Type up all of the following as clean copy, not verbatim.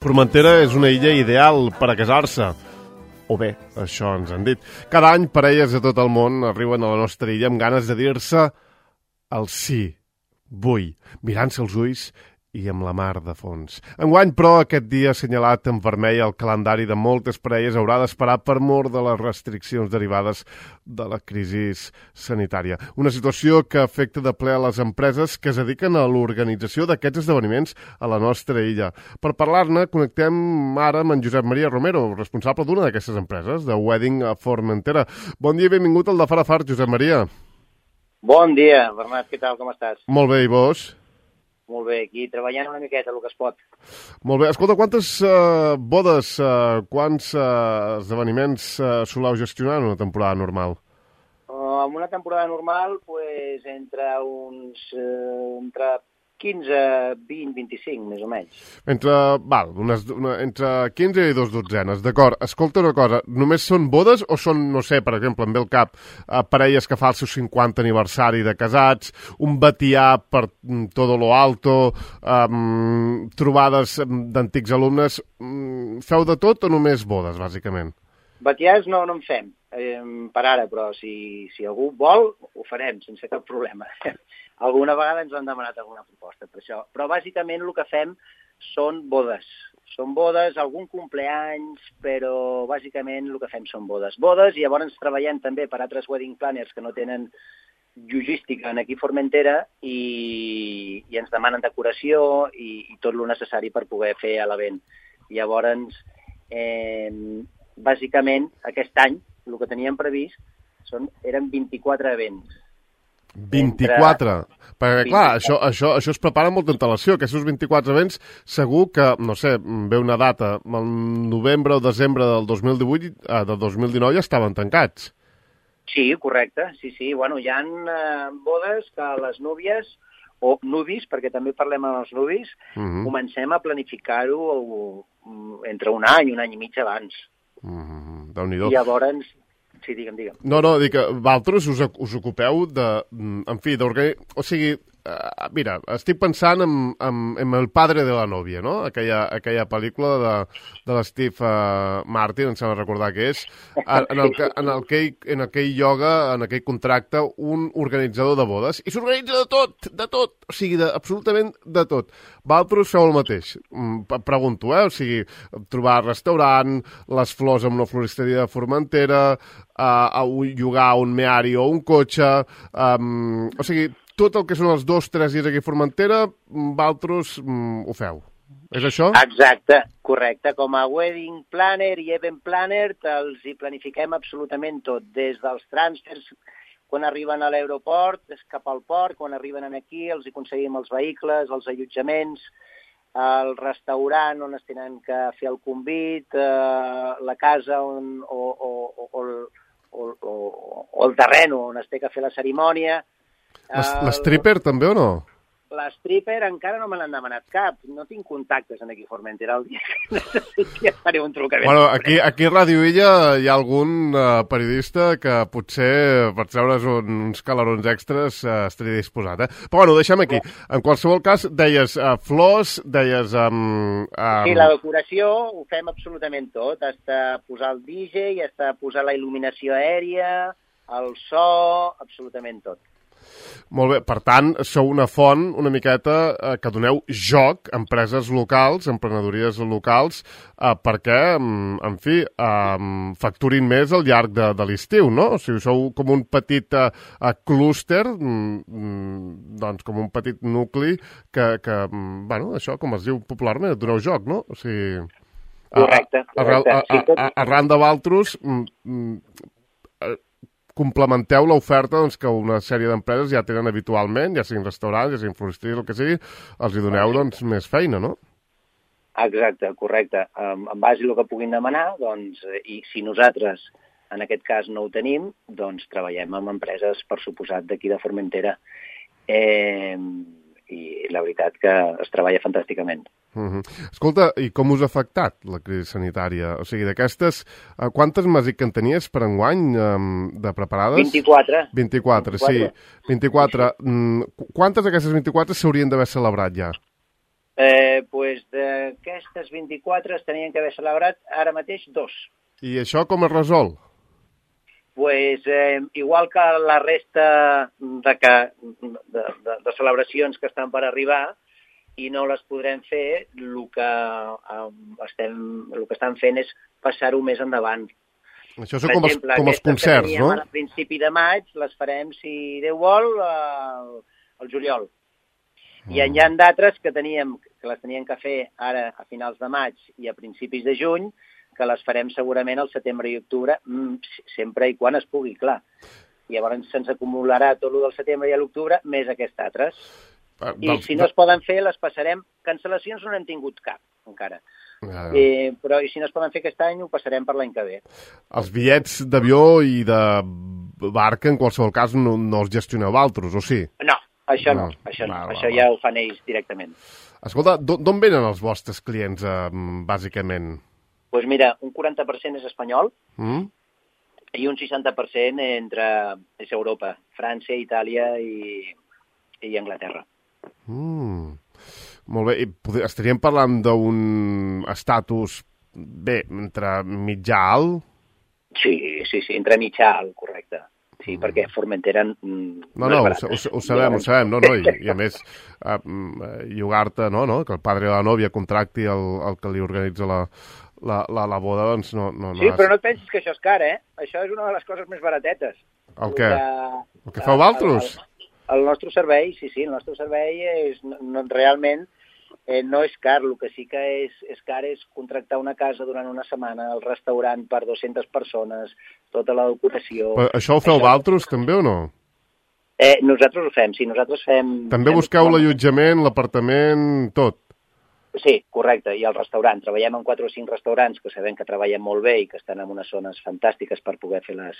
Formentera és una illa ideal per a casar-se. O bé, això ens han dit. Cada any parelles de tot el món arriben a la nostra illa amb ganes de dir-se el sí, vull, mirant-se els ulls i amb la mar de fons. Enguany, però, aquest dia assenyalat en vermell al calendari de moltes parelles haurà d'esperar per mor de les restriccions derivades de la crisi sanitària. Una situació que afecta de ple a les empreses que es dediquen a l'organització d'aquests esdeveniments a la nostra illa. Per parlar-ne, connectem ara amb en Josep Maria Romero, responsable d'una d'aquestes empreses, de Wedding Formentera. Bon dia i benvingut al de Far a Far, Josep Maria. Bon dia, Bernat, què tal, com estàs? Molt bé, i vos? Molt bé, aquí treballant una miqueta, el que es pot. Molt bé. Escolta, quantes bodes, quants esdeveniments soleu gestionar en una temporada normal? En una temporada normal, pues, entre 15, 20, 25, més o menys. Entre 15 i 2 dotzenes, d'acord. Escolta una cosa, només són bodes o són, no sé, per exemple, em ve el cap, parelles que fa el seu 50 aniversari de casats, un batià per todo lo alto, trobades d'antics alumnes, feu de tot o només bodes, bàsicament? Batiars no en fem, per ara, però si algú vol, ho farem, sense cap problema. Alguna vegada ens han demanat alguna proposta per això. Però bàsicament el que fem són bodes. Són bodes, algun compleanys, però bàsicament el que fem són bodes. Bodes, i llavors treballem també per altres wedding planners que no tenen logística aquí a Formentera i ens demanen decoració i tot el necessari per poder fer l'event. Llavors, bàsicament, aquest any, el que teníem previst eren 24 events. 24? Perquè, clar, això es prepara amb molta antelació. Aquests 24 events, segur que, no sé, ve una data, el novembre o desembre del 2018, del 2019 ja estaven tancats. Sí, correcte, sí. Bueno, hi ha bodes que les núvies, o nuvis, perquè també parlem amb els nuvis, comencem a planificar-ho entre un any i mig abans. Déu-n'hi-do. I llavors... Sí, digue'm. No, dic que vosaltres us ocupeu de... En fi, d'organitzar... O sigui, mira, estic pensant en El padre de la novia, no? Aquella pel·lícula de l'Steve Martin, em sembla recordar que és, en aquell lloga, en aquell contracte, un organitzador de bodes, i s'organitza de tot, o sigui, absolutament de tot. Vosaltres feu el mateix. Pregunto, o sigui, trobar restaurant, les flors amb una floristeria de Formentera, llogar un meari o un cotxe, o sigui, tot el que són els 2-3 dies aquí a Formentera, vosaltres ho feu. És això? Exacte, correcte. Com a wedding planner i event planner els hi planifiquem absolutament tot, des dels trànsfers quan arriben a l'aeroport, cap al port, quan arriben aquí els hi aconseguim els vehicles, els allotjaments, el restaurant on es tenen que fer el convit, la casa o el terreno on es té que fer la cerimònia. L'stripper també o no? L'stripper encara no me n'han demanat cap. No tinc contactes aquí a Formentera. El dia que necessiti ja faré un trucament. Bueno, aquí a Ràdio Illa hi ha algun periodista que potser per treure's uns calarons extras estaria disposat. Però bueno, deixem aquí. En qualsevol cas, deies flors, deies... Sí, la decoració ho fem absolutament tot. Hasta posar el DJ, hasta posar la il·luminació aèria, el so, absolutament tot. Molt bé, per tant, sou una font una miqueta que doneu joc a empreses locals, emprenedories locals, perquè, en fi, facturin més al llarg de l'estiu, no? O sigui, sou com un petit clúster, doncs com un petit nucli que, bueno, això, com es diu popularment, doneu joc, no? O sigui... Correcte. Arran de vosaltres... complementeu l'oferta doncs, que una sèrie d'empreses ja tenen habitualment, ja siguin restaurants, ja siguin floristeries, el que sigui, els hi doneu doncs, més feina, no? Exacte, correcte. En base a el que puguin demanar, doncs, i si nosaltres en aquest cas no ho tenim, doncs treballem amb empreses, per suposat, d'aquí de Formentera. I la veritat que es treballa fantàsticament. Escolta, i com us ha afectat la crisi sanitària? O sigui, d'aquestes, quantes m'has dit que en tenies per enguany de preparades? 24. 24, sí. 24. Quantes d'aquestes 24 s'haurien d'haver celebrat ja? Pues d'aquestes 24 es tenien que haver celebrat ara mateix 2. I això com es resol? Pues, igual que la resta de celebracions que estan per arribar i no les podrem fer, el que estan fent és passar-ho més endavant. Això són com els concerts, no? A principi de maig les farem, si Déu vol, al juliol. I hi ha d'altres que les teníem que fer ara a finals de maig i a principis de juny, que les farem segurament al setembre i octubre, sempre i quan es pugui, clar. Llavors se'ns acumularà tot el del setembre i l'octubre, més aquests altres. I si no es poden fer, les passarem. Cancel·lacions no n'hem tingut cap, encara. Però si no es poden fer aquest any, ho passarem per l'any que ve. Els bitllets d'avió i de barca, en qualsevol cas, no els gestioneu altres, o sí? No, això no. Això ja ho fan ells directament. Escolta, d'on venen els vostres clients, bàsicament? Doncs mira, un 40% és espanyol i un 60% és Europa, França, Itàlia i Anglaterra. Molt bé, i estaríem parlant d'un estatus, entre mitjà-alt? Sí, entre mitjà-alt, correcte. Sí, perquè Formentera no és barat. Ho sabem, i a més, llogar-te, que el padre de la nòvia contracti el que li organitza la boda, doncs no... Sí, però no et pensis que això és car, Això és una de les coses més baratetes. El què? El que feu vosaltres? El nostre servei, sí, el nostre servei realment no és car. El que sí que és car és contractar una casa durant una setmana, el restaurant per 200 persones, tota la ocupació... Però això ho feu vosaltres, també, o no? Nosaltres ho fem, sí, nosaltres fem... També busqueu l'allotjament, l'apartament, tot? Sí, correcte, i el restaurant. Treballem en 4 o 5 restaurants que sabem que treballen molt bé i que estan en unes zones fantàstiques per poder fer les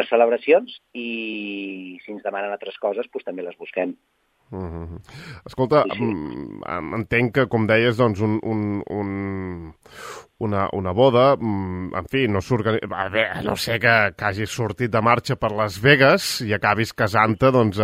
celebracions, i si ens demanen altres coses, doncs també les busquem. Escolta, sí. Entenc que, com deies, doncs una boda, en fi, no s'organitza... No sé que hagis sortit de marxa per Las Vegas i acabis casant-te, doncs,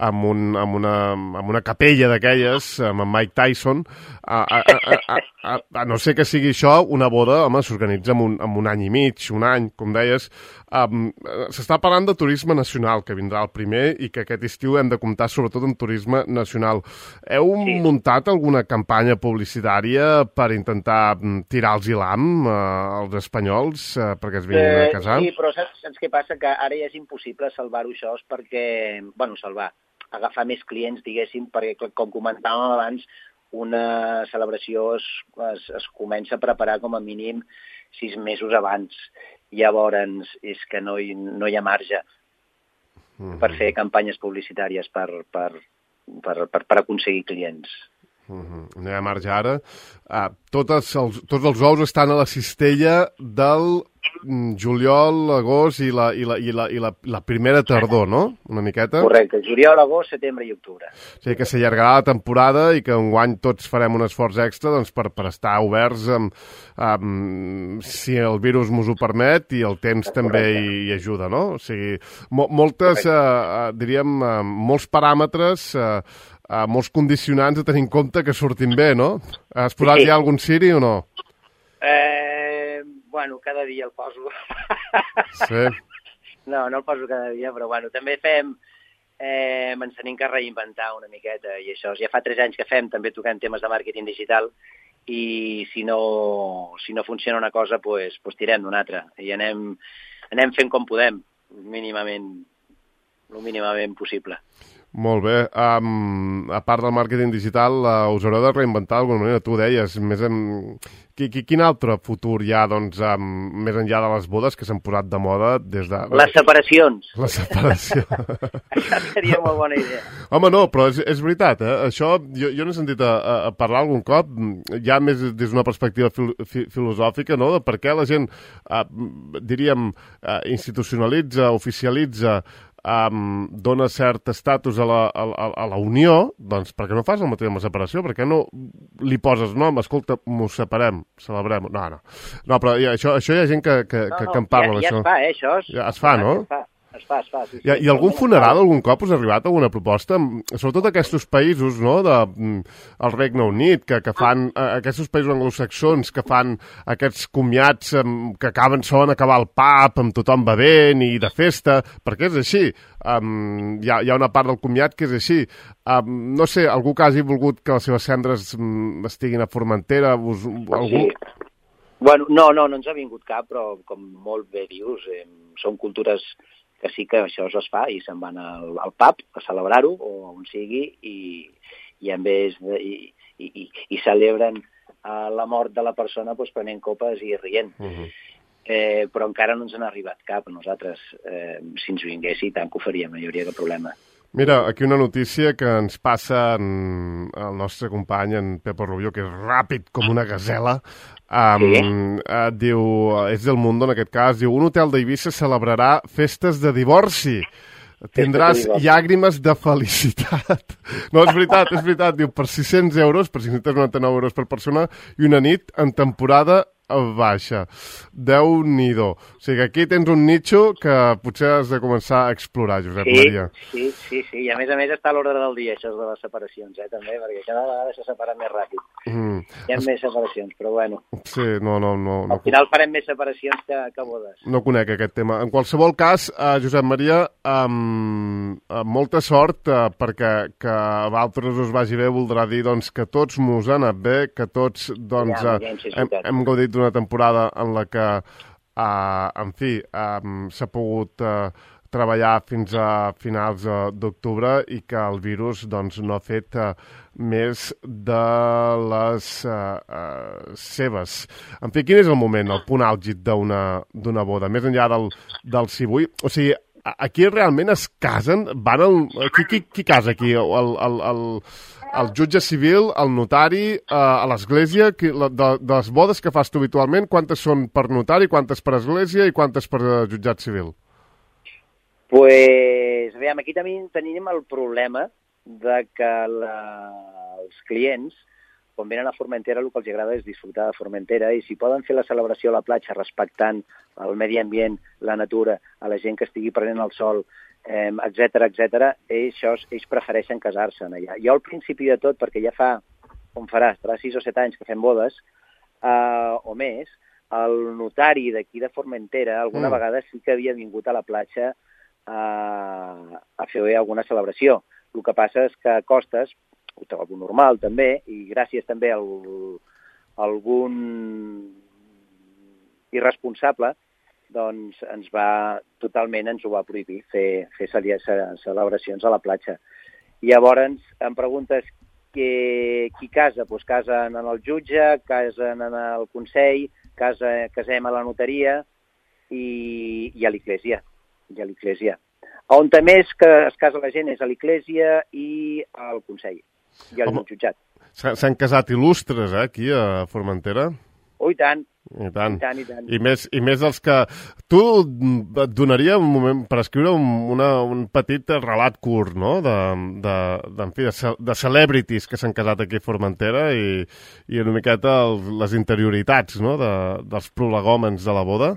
amb una capella d'aquelles, amb en Mike Tyson. A no sé que sigui això, una boda, home, s'organitza amb un any i mig, un any, com deies. S'està parlant de turisme nacional, que vindrà el primer, i que aquest estiu hem de comptar sobretot amb turisme nacional. Heu muntat alguna campanya publicitària per intentar tirar els hilam als espanyols perquè es vinguin a casar? Sí, però saps què passa? Que ara ja és impossible salvar-ho això, perquè, agafar més clients, diguéssim, perquè, com comentàvem abans, una celebració es comença a preparar com a mínim 6 mesos abans. Llavors, és que no hi ha marge per fer campanyes publicitàries per aconseguir clients. No hi ha marge ara. Tots els ous estan a la cistella del juliol, agost i la primera tardor, no? Una miqueta? Correcte, juliol, agost, setembre i octubre. O sigui que s'allargarà la temporada i que enguany tots farem un esforç extra doncs, per estar oberts si el virus mos ho permet i el temps també hi ajuda, no? O sigui, molts paràmetres, molts condicionants a tenir en compte que surtin bé, no? Has posat ja algun ciri o no? Cada dia el poso. Sí. No el poso cada dia, però també fem... ens tenim que reinventar una miqueta, i això ja fa 3 anys que fem, també toquem temes de màrqueting digital, i si no funciona una cosa, doncs tirem d'una altra, i anem fent com podem, el mínimament possible. Molt bé. A part del màrqueting digital, us haureu de reinventar d'alguna manera. Tu deies, quin altre futur hi ha, doncs, més enllà de les bodes que s'han posat de moda des de... Les separacions. La separació. Això seria una bona idea. Home, no, però és veritat, Això jo n'he sentit a parlar algun cop, ja més des d'una perspectiva filosòfica, no?, de per què la gent, institucionalitza, oficialitza, dona cert estatus a la unió, doncs per què no fas el mateix amb la separació? Per què no li poses nom? Escolta, m'ho separem, celebrem... No, però això hi ha gent que en parla, ja es fa, això. Ja es fa, no? Es fa, sí. I algun funeral algun cop us ha arribat alguna proposta? Sobretot aquests països, no?, el Regne Unit, que fan, aquests països anglosaxons que fan aquests comiats que solen acabar al pub amb tothom bevent i de festa, perquè és així. Hi ha una part del comiat que és així. No sé, algú que hagi volgut que les seves cendres estiguin a Formentera? Algú? Sí. Bueno, no ens ha vingut cap, però com molt bé dius, són cultures que sí que això es fa i se'n van al pub a celebrar-ho o on sigui i en vez i celebren la mort de la persona doncs, prenent copes i rient. Però encara no ens n'ha arribat cap a nosaltres. Si ens vingués, i tant que ho faríem, no hi hauria cap problema. Mira, aquí una notícia que ens passa el nostre company, en Pepo Rubio, que és ràpid com una gasela. Diu, és del Mundo en aquest cas, diu, un hotel d'Eivissa celebrarà festes de divorci. Tindràs llàgrimes de felicitat. No, és veritat. Diu, per 600 euros, per 599 euros per persona, i una nit en temporada baixa. Déu-n'hi-do. O sigui, aquí tens un nicho que potser has de començar a explorar, Josep Maria. Sí. I a més està a l'ordre del dia, això de les separacions, també, perquè cada vegada se separen més ràpid. Hi ha més separacions, però bueno. Sí, no. Al final farem més separacions que bodes. No conec aquest tema. En qualsevol cas, Josep Maria, molta sort, perquè que a vosaltres us vagi bé voldrà dir doncs, que tots mos ha anat bé, que tots doncs, hem gaudit d'una temporada en la que, en fi, s'ha pogut treballar fins a finals d'octubre i que el virus doncs, no ha fet més de les seves. En fi, quin és el moment, el punt àlgid d'una boda? Més enllà del civui? O sigui, aquí realment es casen? Qui casa aquí? El jutge civil, el notari, a l'església? De les bodes que fas tu habitualment, quantes són per notari, quantes per església i quantes per jutjat civil? Pues, aviam, aquí també tenim el problema de que els clients, quan venen a Formentera, el que els agrada és disfrutar de Formentera, i si poden fer la celebració a la platja respectant el medi ambient, la natura, a la gent que estigui prenent el sol, etcètera, ells prefereixen casar-se allà. Jo al principi de tot, perquè ja farà 6 o 7 anys que fem bodes, o més, el notari d'aquí de Formentera alguna vegada sí que havia vingut a la platja a fer alguna celebració. El que passa és que a costes, ho trobo normal també, i gràcies també a algun irresponsable, doncs ens ho va prohibir fer celebracions a la platja. I llavors em preguntes qui casa? Doncs casen en el jutge, casen en el consell, casem a la notaria i a l'església. On més que es casa la gent és a l'església i al consell, i al jutjat. S'han casat il·lustres, aquí a Formentera? Oh, i tant. I tant. I més dels que... Tu et donaria un moment per escriure un petit relat curt, no?, de celebrities que s'han casat aquí a Formentera i una miqueta les interioritats, no?, dels prolegòmens de la boda.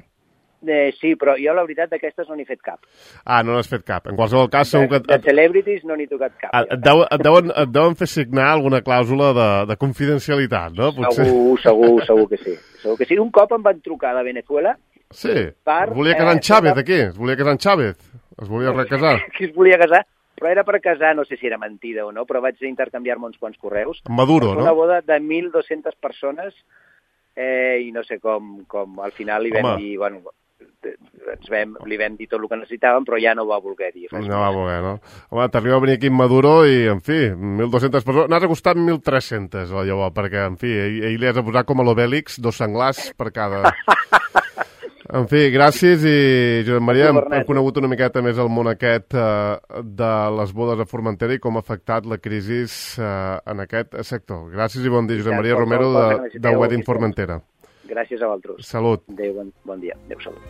Sí, però jo la veritat d'aquestes no n'he fet cap. No n'has fet cap. En qualsevol cas, segur que... De celebrities no n'he tocat cap. Et deuen fer signar alguna clàusula de confidencialitat, no? Potser. Segur que sí. Un cop em van trucar de Venezuela... Sí, volia casar en Chávez, aquí. Es volia casar en Chávez. Es volia recasar. Que es volia casar, però era per casar, no sé si era mentida o no, però vaig intercanviar-me uns quants correus. Maduro, no? Una boda de 1.200 persones i no sé com al final li vam dir... Bueno, li vam dir tot el que necessitàvem, però ja no va voler dir res. No va voler, no? Home, t'arriba a venir aquí en Maduro i, en fi, 1.200 persones... N'has costat 1.300, llavors, perquè, en fi, ell li has de posar com a l'Obèlix 2 senglars per cada... En fi, gràcies i, Josep Maria, hem conegut una miqueta més el món aquest de les bodes a Formentera i com ha afectat la crisi en aquest sector. Gràcies i bon dia, Josep Maria Romero de Wedding Formentera. Gràcies a vosaltres. Salut. Adéu, bon dia. Adéu, salut.